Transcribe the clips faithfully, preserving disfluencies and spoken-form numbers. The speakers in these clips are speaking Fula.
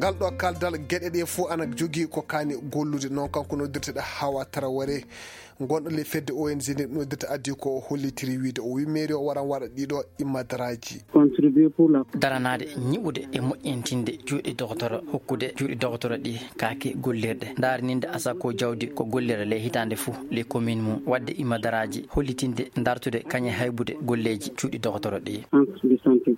Ngal ɗo kaldal geɗe ɗe fof ana jogii ko kaani gollude. Noon kanko noddirteɗo Hawa Taraware, gonɗo le fedde O N G nde noddirta addi ko o hollitiri wiide o wi mairie o waran waɗa ɗiɗo immadaraaji. Contribuer pour la daranaade, ñiɓude e moƴƴintinde juuɗe dogotoro, hokkude juuɗe dogotoro ɗi kaake gollirɗe, ndaarninde asako jawdi ko gollira ley hitaande fof, les communes mum, waɗde imadaraaji, hollitinde, dartude, kañe haybude golleeji juuɗe dogotoro ɗi.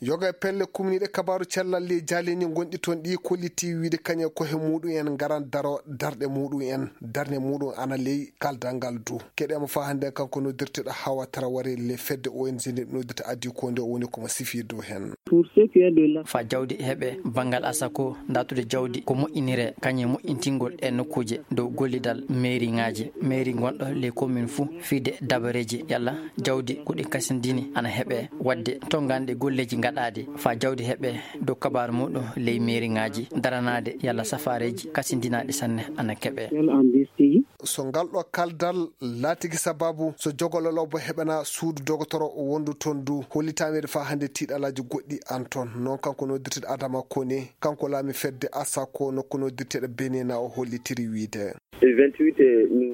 Yoga e pelle kumniiɗe kabaaru cellal ley jaaleni gonɗi toon ɗi kolliti wiide kañe ko he muɗum en ngaran daro darɗe muɗum en, darnde muɗum ana ley kaldal ngal du. Keɗe mo faa hannde kanko noddirteɗo Hawa Taraware le fedde O N G nde noddirta addi ko nde o woni ko mo sifi dow heen. Pour ce qui est de la fa jawdi heɓe banngal asako, dartude jawdi ko moƴƴinire kañe moƴƴintingol e nokkuuje dow gollidal mairie ŋaaji, mairie gonɗo les communes fou, fiide dabareeji yalla jawdi ko ɗi kasindini ana heɓe waɗde tonnganɗe golleeji gaɗaaɗi fa jawdi heɓe dow kabaaru muɗum ley mairie ŋaaji, daranaade yalla safaareeji kasindinaaɗi sanne ana keɓe. So ngal ɗo kaldal laatiki sababu so jogolo lobo heɓana suudu dogotoro wondu toon du, hollitameede fa hannde tiiɗalaaji goɗɗi an toon. Noon kanko noddirteɗo Adama Kone, kanko laami fedde asako nokku noddirteɗo Benena o hollitiri wiide.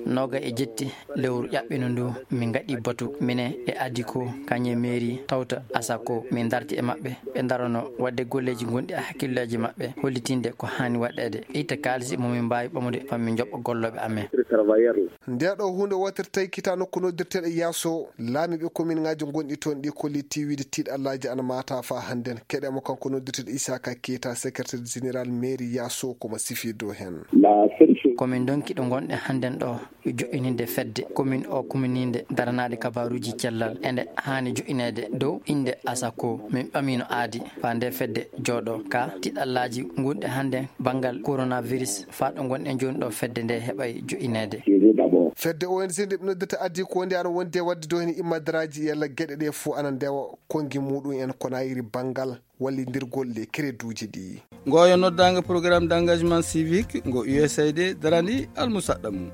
Noga e jetti lewru ƴaɓɓino ndu, min ngaɗi batu mine e addi ko kañe mairie tawta asako min darti e maɓɓe, ɓe darono waɗde golleeji gonɗi e hakkillaaji maɓɓe, hollitinde ko haani waɗeede, itta kaalisi mo min mbaawi ɓamude fa min njoɓɓa gollooɓe amen. Nde ɗo huunde wootere tawi kita nokku noddirteɗo Yaaso, laamiiɓe komin ŋaaji gonɗi toon ɗi kolliti wiide tiiɗalaaji ana maata fa hannden. Keɗe mo kanko noddirteɗo Isaka Keita, secrétaire général mairie Yaaso, ko mo sifi dow heen. Komin ndonki ɗo ngonɗen hannden ɗo, joƴƴininde fedde komin o komininde daranaade kabaaruuji cellal. Ende haani joƴƴineede dow innde asako. Min ɓamino aadi fa nde fedde jooɗo ka tiiɗalaaji gonɗi hannden banngal coronavirus fa ɗo ngonɗen jooni ɗo fedde nde heɓay joƴƴineede. Fedde O N G nde ɓe noddata addi ko nde ana wondi e waɗde dow heen immadaraaji yalla geɗe ɗe fof ana ndewa konngi muɗum en ko nayiri banngal wallindirgol le kereduuji ɗi. Ngoyo noddaango programme d'engagement civique ngo U S A I D darani almusaɗɗa mum.